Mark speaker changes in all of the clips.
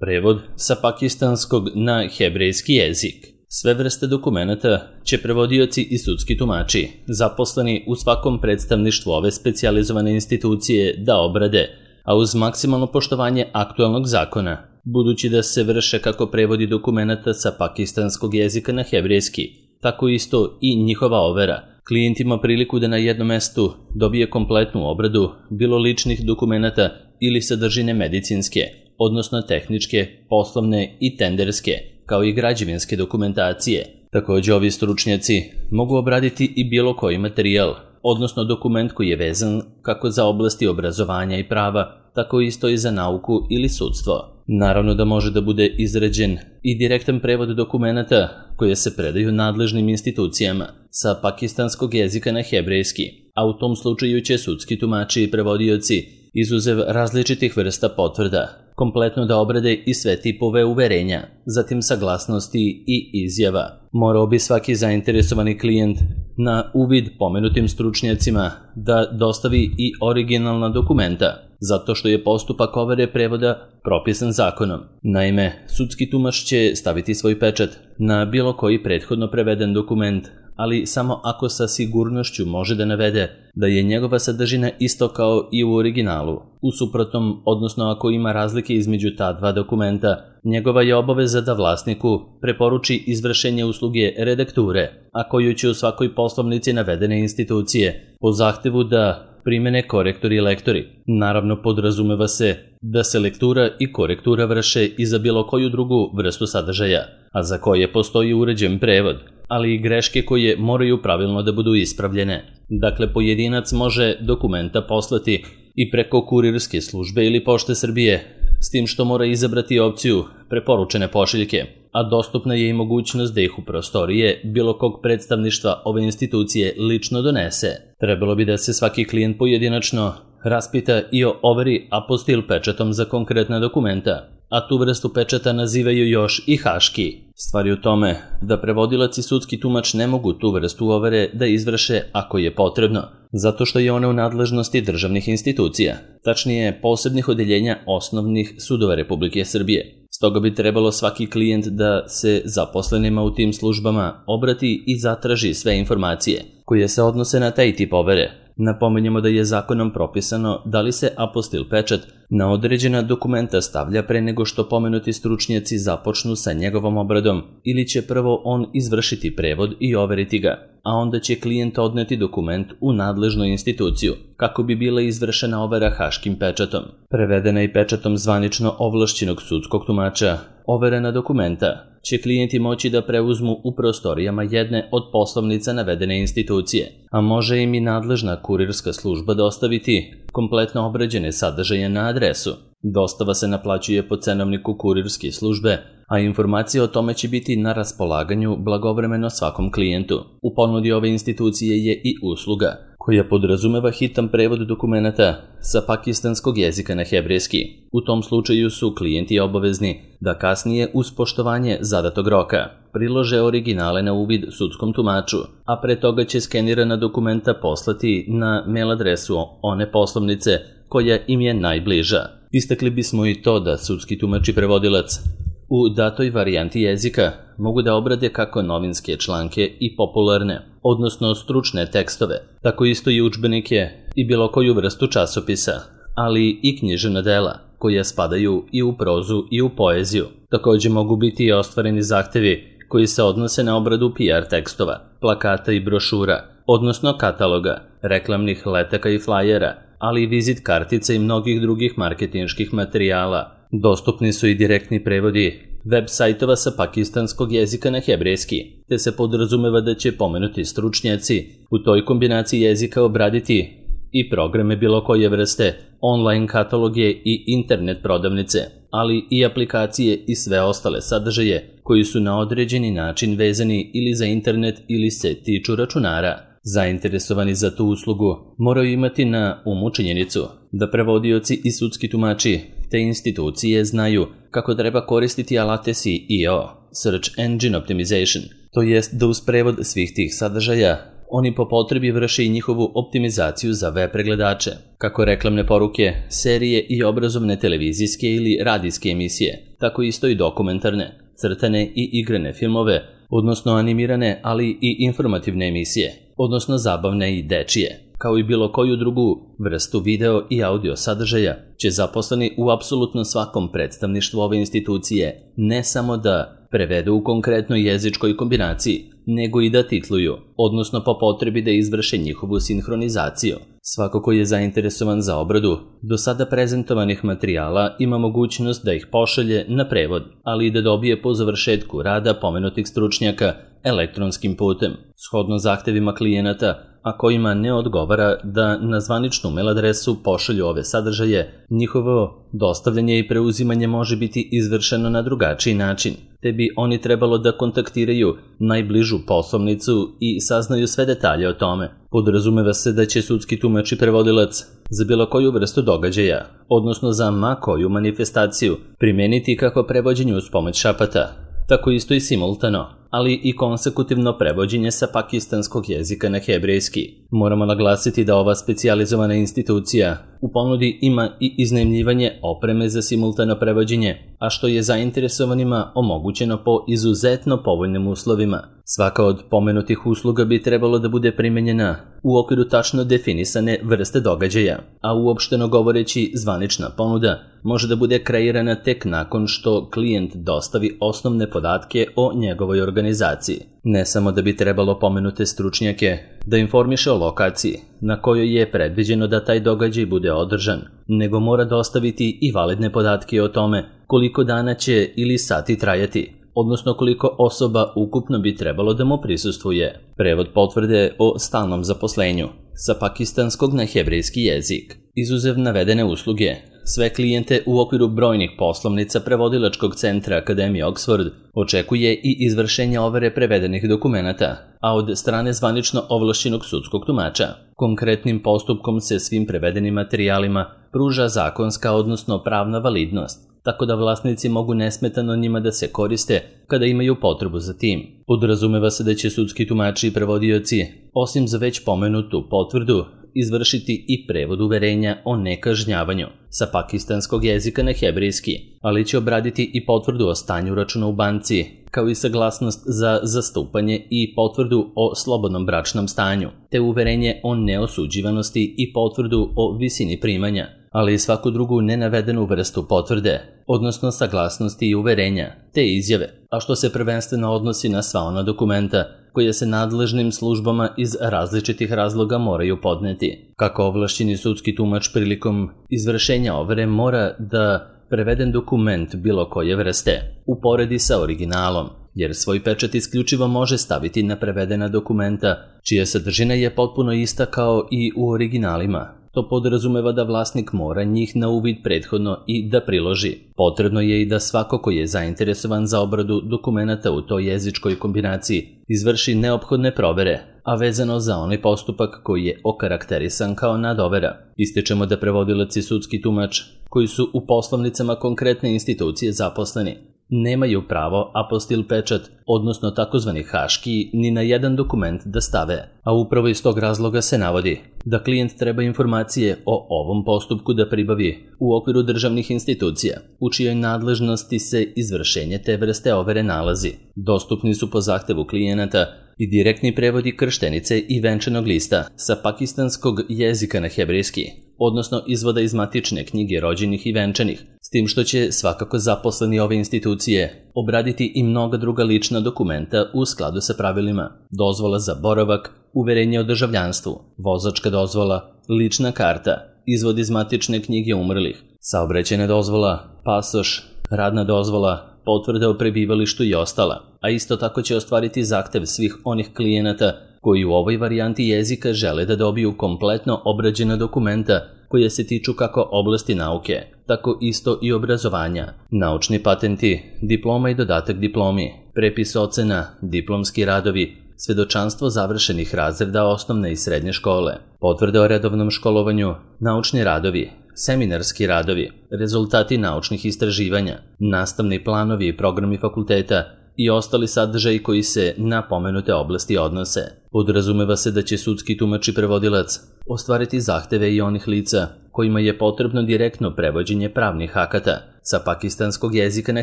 Speaker 1: Prevod sa pakistanskog na hebrejski jezik. Sve vrste dokumenata će prevodioci i sudski tumači, zaposleni u svakom predstavništvu ove specijalizovane institucije, da obrade, a uz maksimalno poštovanje aktualnog zakona, budući da se vrše kako prevodi dokumenata sa pakistanskog jezika na hebrejski, tako isto i njihova overa. Klijent ima priliku da na jednom mestu dobije kompletnu obradu, bilo ličnih dokumenata ili sadržine medicinske, odnosno tehničke, poslovne i tenderske, kao i građevinske dokumentacije. Također ovi stručnjaci mogu obraditi i bilo koji materijal, odnosno dokument koji je vezan kako za oblasti obrazovanja i prava, tako isto i za nauku ili sudstvo. Naravno da može da bude izrađen i direktan prevod dokumenata koje se predaju nadležnim institucijama sa pakistanskog jezika na hebrejski, a u tom slučaju će sudski tumači i prevodioci, izuzev različitih vrsta potvrda, kompletno da obrade i sve tipove uverenja, zatim saglasnosti i izjava. Morao bi svaki zainteresovani klijent na uvid pomenutim stručnjacima da dostavi i originalna dokumenta, zato što je postupak overe prevoda propisan zakonom. Naime, sudski tumač će staviti svoj pečat na bilo koji prethodno preveden dokument, ali samo ako sa sigurnošću može da navede da je njegova sadržina isto kao i u originalu. U suprotnom, odnosno ako ima razlike između ta dva dokumenta, njegova je obaveza da vlasniku preporuči izvršenje usluge redakture, a koju će u svakoj poslovnici navedene institucije po zahtevu da primene korektori i lektori. Naravno, podrazumeva se da se lektura i korektura vrše i za bilo koju drugu vrstu sadržaja, a za koje postoji uređen prevod, ali i greške koje moraju pravilno da budu ispravljene. Dakle, pojedinac može dokumenta poslati i preko kurirske službe ili Pošte Srbije, s tim što mora izabrati opciju preporučene pošiljke, a dostupna je i mogućnost da ih u prostorije bilo kog predstavništva ove institucije lično donese. Trebalo bi da se svaki klijent pojedinačno raspita i o overi apostil pečatom za konkretna dokumenta, a tu vrstu pečata nazivaju još i haški. Stvar je u tome da prevodilac i sudski tumač ne mogu tu vrstu overe da izvrše ako je potrebno, zato što je ona u nadležnosti državnih institucija, tačnije posebnih odeljenja osnovnih sudova Republike Srbije. Stoga bi trebalo svaki klijent da se zaposlenima u tim službama obrati i zatraži sve informacije koje se odnose na taj tip overe. Napominjemo da je zakonom propisano da li se apostil pečat na određena dokumenta stavlja pre nego što pomenuti stručnjaci započnu sa njegovom obradom, ili će prvo on izvršiti prevod i overiti ga, a onda će klijent odneti dokument u nadležnu instituciju kako bi bila izvršena overa haškim pečatom. Prevedena i pečatom zvanično ovlašćenog sudskog tumača, overena dokumenta će klijenti moći da preuzmu u prostorijama jedne od poslovnica navedene institucije, a može im i nadležna kurirska služba dostaviti kompletno obrađene sadržaje na adresu. Dostava se naplaćuje po cenovniku kurirske službe, a informacije o tome će biti na raspolaganju blagovremeno svakom klijentu. U ponudi ove institucije je i usluga koja podrazumeva hitan prevod dokumenata sa pakistanskog jezika na hebrejski. U tom slučaju su klijenti obavezni da kasnije uz poštovanje zadatog roka prilože originale na uvid sudskom tumaču, a pre toga će skenirana dokumenta poslati na mail adresu one poslovnice koja im je najbliža. Istakli bismo i to da sudski tumač i prevodilac u datoj varijanti jezika mogu da obrade kako novinske članke i popularne, odnosno stručne tekstove, tako isto i udžbenike i bilo koju vrstu časopisa, ali i književna dela koja spadaju i u prozu i u poeziju. Također mogu biti i ostvareni zahtevi koji se odnose na obradu PR tekstova, plakata i brošura, odnosno kataloga, reklamnih letaka i flajera, ali i vizit kartica i mnogih drugih marketinških materijala. Dostupni su i direktni prevodi web sajtova sa pakistanskog jezika na hebrejski, te se podrazumeva da će pomenuti stručnjaci u toj kombinaciji jezika obraditi i programe bilo koje vrste, online kataloge i internet prodavnice, ali i aplikacije i sve ostale sadržaje koji su na određeni način vezani ili za internet ili se tiču računara. Zainteresovani za tu uslugu moraju imati na umu činjenicu da prevodioci i sudski tumači te institucije znaju kako treba koristiti alate SEO, Search Engine Optimization, to jest da uz prevod svih tih sadržaja oni po potrebi vrše i njihovu optimizaciju za web pregledače, kako reklamne poruke, serije i obrazovne televizijske ili radijske emisije, tako isto i dokumentarne, crtane i igrane filmove, odnosno animirane, ali i informativne emisije, odnosno zabavne i dečije, kao i bilo koju drugu vrstu video i audio sadržaja, će zaposleni u apsolutno svakom predstavništvu ove institucije ne samo da prevedu u konkretnoj jezičkoj kombinaciji, nego i da titluju, odnosno po potrebi da izvrše njihovu sinhronizaciju. Svako ko je zainteresovan za obradu do sada prezentovanih materijala ima mogućnost da ih pošalje na prevod, ali i da dobije po završetku rada pomenutih stručnjaka elektronskim putem, shodno zahtevima klijenata, a kojima ne odgovara da na zvaničnu mail adresu pošalju ove sadržaje, njihovo dostavljanje i preuzimanje može biti izvršeno na drugačiji način, te bi oni trebalo da kontaktiraju najbližu poslovnicu i saznaju sve detalje o tome. Podrazumeva se da će sudski tumač i prevodilac za bilo koju vrstu događaja, odnosno za ma koju manifestaciju, primeniti kako prevođenje uz pomoć šapata, tako isto i simultano, ali i konsekutivno prevođenje sa pakistanskog jezika na hebrejski. Moramo naglasiti da ova specijalizovana institucija u ponudi ima i iznajmljivanje opreme za simultano prevođenje, a što je zainteresovanima omogućeno po izuzetno povoljnim uslovima. Svaka od pomenutih usluga bi trebalo da bude primenjena u okviru tačno definisane vrste događaja, a uopšteno govoreći zvanična ponuda može da bude kreirana tek nakon što klijent dostavi osnovne podatke o njegovoj organizaciji. Ne samo da bi trebalo pomenute stručnjake da informiše o lokaciji na kojoj je predviđeno da taj događaj bude održan, nego mora dostaviti i validne podatke o tome koliko dana će ili sati trajati, odnosno koliko osoba ukupno bi trebalo da mu prisustvuje. Prevod potvrde o stalnom zaposlenju sa pakistanskog na hebrejski jezik. Izuzev navedene usluge, sve klijente u okviru brojnih poslovnica prevodilačkog centra Akademije Oxford očekuje i izvršenje overe prevedenih dokumenata, a od strane zvanično ovlašćenog sudskog tumača. Konkretnim postupkom se svim prevedenim materijalima pruža zakonska, odnosno pravna validnost, tako da vlasnici mogu nesmetano njima da se koriste kada imaju potrebu za tim. Podrazumeva se da će sudski tumači i prevodioci, osim za već pomenutu potvrdu, izvršiti i prevod uverenja o nekažnjavanju sa pakistanskog jezika na hebrejski, ali će obraditi i potvrdu o stanju računa u banci, kao i saglasnost za zastupanje i potvrdu o slobodnom bračnom stanju, te uverenje o neosuđivanosti i potvrdu o visini primanja, ali i svaku drugu nenavedenu vrstu potvrde, odnosno saglasnosti i uverenja, te izjave, a što se prvenstveno odnosi na sva ona dokumenta koje se nadležnim službama iz različitih razloga moraju podneti. Kako ovlašćeni sudski tumač prilikom izvršenja overe mora da preveden dokument bilo koje vrste uporedi sa originalom, jer svoj pečat isključivo može staviti na prevedena dokumenta, čija sadržina je potpuno ista kao i u originalima. To podrazumeva da vlasnik mora njih na uvid prethodno i da priloži. Potrebno je i da svako ko je zainteresovan za obradu dokumenata u toj jezičkoj kombinaciji izvrši neophodne provere, a vezano za onaj postupak koji je okarakterisan kao nadovera. Ističemo da prevodilac i sudski tumač, koji su u poslovnicama konkretne institucije zaposleni, nemaju pravo apostil pečat, odnosno takozvani haški, ni na jedan dokument da stave, a upravo iz tog razloga se navodi da klijent treba informacije o ovom postupku da pribavi u okviru državnih institucija, u čijoj nadležnosti se izvršenje te vrste overe nalazi. Dostupni su po zahtevu klijenata i direktni prevodi krštenice i venčanog lista sa pakistanskog jezika na hebrejski, odnosno izvoda iz matične knjige rođenih i venčanih, s tim što će svakako zaposleni ove institucije obraditi i mnoga druga lična dokumenta u skladu sa pravilima: dozvola za boravak, uverenje o državljanstvu, vozačka dozvola, lična karta, izvod iz matične knjige umrlih, saobraćajna dozvola, pasoš, radna dozvola, potvrda o prebivalištu i ostala, a isto tako će ostvariti zahtev svih onih klijenata koji u ovoj varijanti jezika žele da dobiju kompletno obrađena dokumenta koje se tiču kako oblasti nauke, tako isto i obrazovanja, naučni patenti, diploma i dodatak diplomi, prepis ocena, diplomski radovi, svedočanstvo završenih razreda osnovne i srednje škole, potvrde o redovnom školovanju, naučni radovi, seminarski radovi, rezultati naučnih istraživanja, nastavni planovi i programi fakulteta i ostali sadržaji koji se na pomenute oblasti odnose. Podrazumeva se da će sudski tumač i prevodilac ostvariti zahteve i onih lica kojima je potrebno direktno prevođenje pravnih akata sa pakistanskog jezika na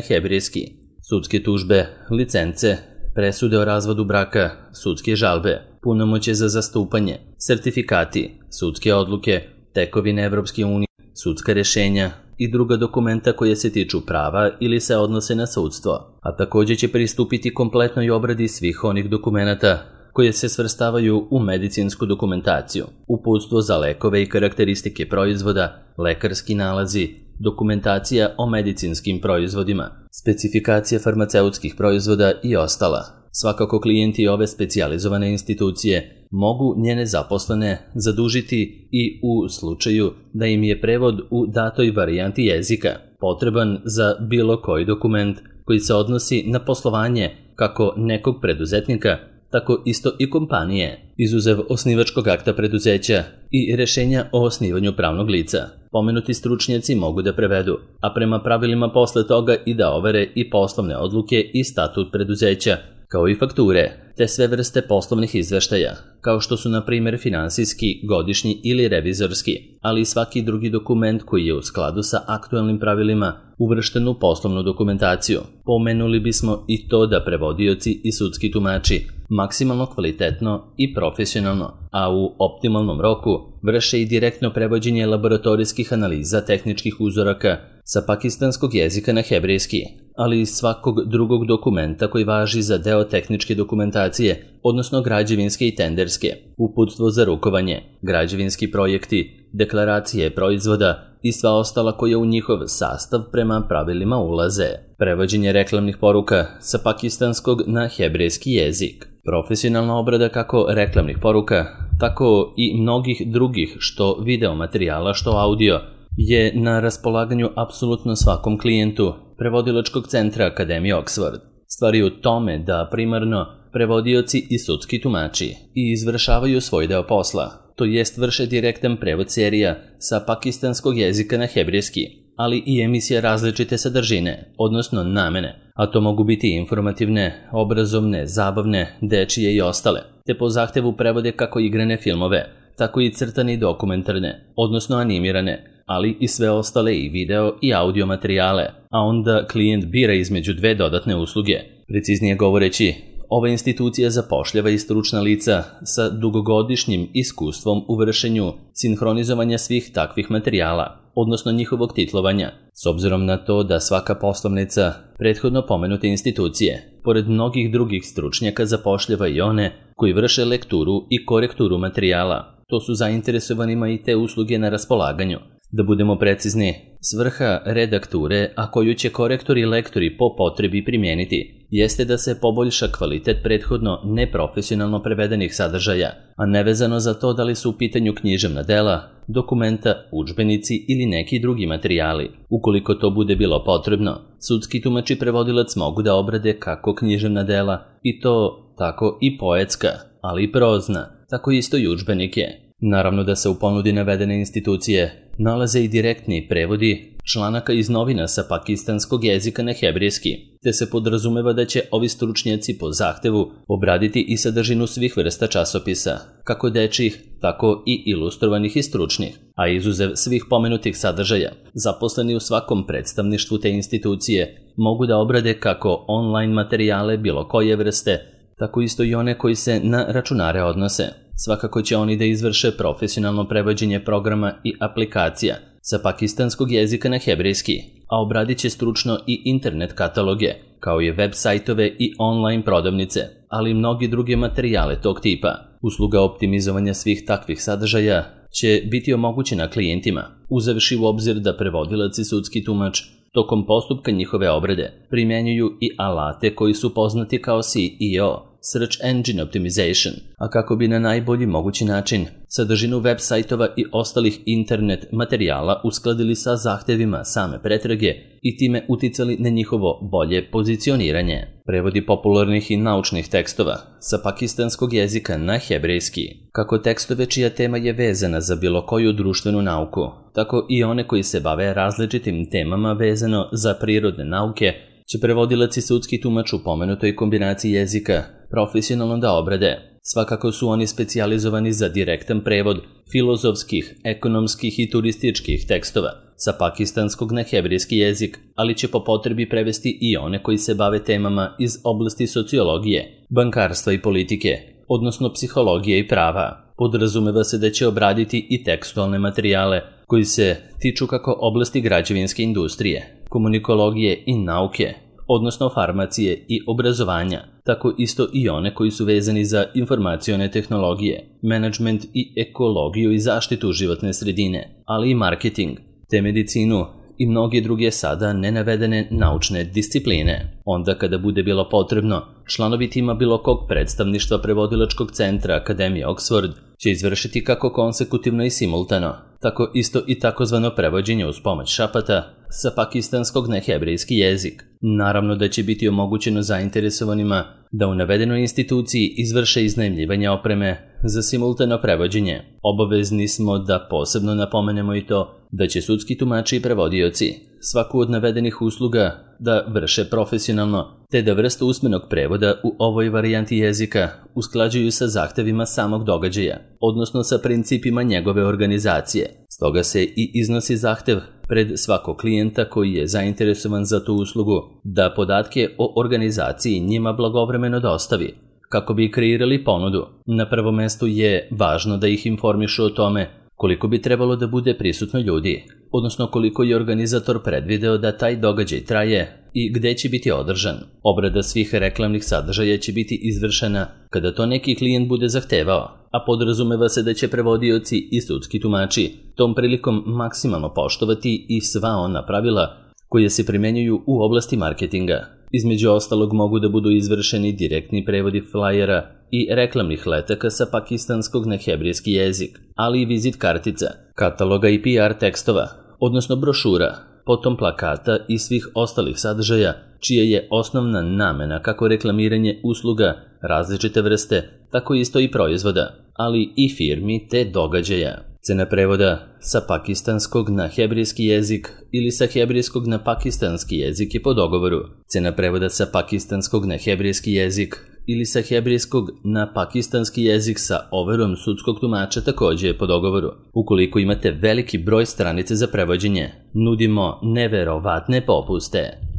Speaker 1: hebrejski, sudske tužbe, licence, presude o razvodu braka, sudske žalbe, punomoćje za zastupanje, sertifikati, sudske odluke, tekovine Evropske unije, sudska rješenja i druga dokumenta koje se tiču prava ili se odnose na sudstvo, a također će pristupiti kompletnoj obradi svih onih dokumenata koje se svrstavaju u medicinsku dokumentaciju, uputstvo za lekove i karakteristike proizvoda, lekarski nalazi, dokumentacija o medicinskim proizvodima, specifikacija farmaceutskih proizvoda i ostala. Svakako klijenti ove specijalizovane institucije mogu njene zaposlene zadužiti i u slučaju da im je prevod u datoj varijanti jezika potreban za bilo koji dokument koji se odnosi na poslovanje kako nekog preduzetnika, tako isto i kompanije, izuzev osnivačkog akta preduzeća i rješenja o osnivanju pravnog lica. Pomenuti stručnjaci mogu da prevedu, a prema pravilima posle toga i da overe i poslovne odluke i statut preduzeća, kao i fakture, te sve vrste poslovnih izveštaja, kao što su na primjer finansijski, godišnji ili revizorski, ali i svaki drugi dokument koji je u skladu sa aktualnim pravilima uvršten u poslovnu dokumentaciju. Pomenuli bismo i to da prevodioci i sudski tumači maksimalno kvalitetno i profesionalno, a u optimalnom roku vrše i direktno prevođenje laboratorijskih analiza tehničkih uzoraka sa pakistanskog jezika na hebrejski, ali i svakog drugog dokumenta koji važi za deo tehničke dokumentacije, odnosno građevinske i tenderske, uputstvo za rukovanje, građevinski projekti, deklaracije proizvoda i sva ostala koja u njihov sastav prema pravilima ulaze. Prevođenje reklamnih poruka sa pakistanskog na hebrejski jezik. Profesionalna obrada kako reklamnih poruka, tako i mnogih drugih što video materijala, što audio, je na raspolaganju apsolutno svakom klijentu prevodilačkog centra Akademije Oxford. Stvar je u tome da primarno prevodioci i sudski tumači i izvršavaju svoj deo posla, to jest vrše direktan prevod serija sa pakistanskog jezika na hebrejski, ali i emisije različite sadržine, odnosno namene, a to mogu biti informativne, obrazovne, zabavne, dečije i ostale, te po zahtevu prevode kako igrane filmove, tako i crtane i dokumentarne, odnosno animirane, ali i sve ostale i video i audio materijale, a onda klijent bira između dve dodatne usluge. Preciznije govoreći, ova institucija zapošljava i stručna lica sa dugogodišnjim iskustvom u vršenju sinhronizovanja svih takvih materijala, odnosno njihovog titlovanja, s obzirom na to da svaka poslovnica prethodno pomenute institucije, pored mnogih drugih stručnjaka, zapošljava i one koji vrše lekturu i korekturu materijala. To su zainteresovanima i te usluge na raspolaganju. Da budemo precizni, svrha redakture, a koju će korektori i lektori po potrebi primijeniti, jeste da se poboljša kvalitet prethodno neprofesionalno prevedenih sadržaja, a nevezano za to da li su u pitanju književna dela, dokumenta, udžbenici ili neki drugi materijali. Ukoliko to bude bilo potrebno, sudski tumač i prevodilac mogu da obrade kako književna dela, i to tako i poetska, ali i prozna, tako isto i udžbenike. Naravno da se u ponudi navedene institucije nalaze i direktni prevodi članaka iz novina sa pakistanskog jezika na hebrejski, te se podrazumeva da će ovi stručnjaci po zahtevu obraditi i sadržinu svih vrsta časopisa, kako dečjih, tako i ilustrovanih i stručnih, a izuzev svih pomenutih sadržaja, zaposleni u svakom predstavništvu te institucije mogu da obrade kako online materijale bilo koje vrste, tako isto i one koji se na računare odnose. Svakako će oni da izvrše profesionalno prevođenje programa i aplikacija sa pakistanskog jezika na hebrejski, a obradit će stručno i internet kataloge, kao i web sajtove i online prodavnice, ali i mnogi druge materijale tog tipa. Usluga optimizovanja svih takvih sadržaja će biti omogućena klijentima, uzevši u obzir da prevodilac i sudski tumač tokom postupka njihove obrade primjenjuju i alate koji su poznati kao SEO, Search Engine Optimization, a kako bi na najbolji mogući način sadržinu web sajtova i ostalih internet materijala uskladili sa zahtevima same pretrage i time uticali na njihovo bolje pozicioniranje. Prevodi popularnih i naučnih tekstova sa pakistanskog jezika na hebrejski, kako tekstove čija tema je vezana za bilo koju društvenu nauku, tako i one koji se bave različitim temama vezano za prirodne nauke, će prevodilac i sudski tumač u pomenutoj kombinaciji jezika profesionalno da obrade. Svakako su oni specijalizovani za direktan prevod filozofskih, ekonomskih i turističkih tekstova sa pakistanskog na hebrejski jezik, ali će po potrebi prevesti i one koji se bave temama iz oblasti sociologije, bankarstva i politike, odnosno psihologije i prava. Podrazumeva se da će obraditi i tekstualne materijale koji se tiču kako oblasti građevinske industrije, komunikologije i nauke, odnosno farmacije i obrazovanja, tako isto i one koji su vezani za informacione tehnologije, menadžment i ekologiju i zaštitu životne sredine, ali i marketing, te medicinu i mnoge druge sada nenavedene naučne discipline. Onda kada bude bilo potrebno, članovi tima bilo kog predstavništva prevodilačkog centra Akademije Oxford će izvršiti kako konsekutivno i simultano, tako isto i takozvano prevođenje uz pomoć šapata sa pakistanskog na hebrejski jezik. Naravno da će biti omogućeno zainteresovanima da u navedenoj instituciji izvrše iznajmljivanje opreme za simultano prevođenje. Obavezni smo da posebno napomenemo i to da će sudski tumači i prevodioci svaku od navedenih usluga da vrše profesionalno, te da vrstu usmenog prevoda u ovoj varijanti jezika usklađuju sa zahtevima samog događaja, odnosno sa principima njegove organizacije. Stoga se i iznosi zahtev pred svakog klijenta koji je zainteresovan za tu uslugu da podatke o organizaciji njima blagovremeno dostavi, kako bi kreirali ponudu. Na prvom mestu je važno da ih informišu o tome koliko bi trebalo da bude prisutno ljudi, odnosno koliko je organizator predvideo da taj događaj traje i gde će biti održan. Obrada svih reklamnih sadržaja će biti izvršena kada to neki klijent bude zahtevao, a podrazumeva se da će prevodioci i sudski tumači tom prilikom maksimalno poštovati i sva ona pravila koje se primenjuju u oblasti marketinga. Između ostalog mogu da budu izvršeni direktni prevodi flajera i reklamnih letaka sa pakistanskog na hebrejski jezik, ali i vizit kartica, kataloga i PR tekstova, odnosno brošura, potom plakata i svih ostalih sadržaja, čija je osnovna namena kako reklamiranje usluga različite vrste, tako isto i proizvoda, ali i firmi te događaja. Cena prevoda sa pakistanskog na hebrejski jezik ili sa hebrejskog na pakistanski jezik je po dogovoru. Cena prevoda sa pakistanskog na hebrejski jezik ili sa hebrejskog na pakistanski jezik sa overom sudskog tumača takođe je po dogovoru. Ukoliko imate veliki broj stranice za prevođenje, nudimo neverovatne popuste.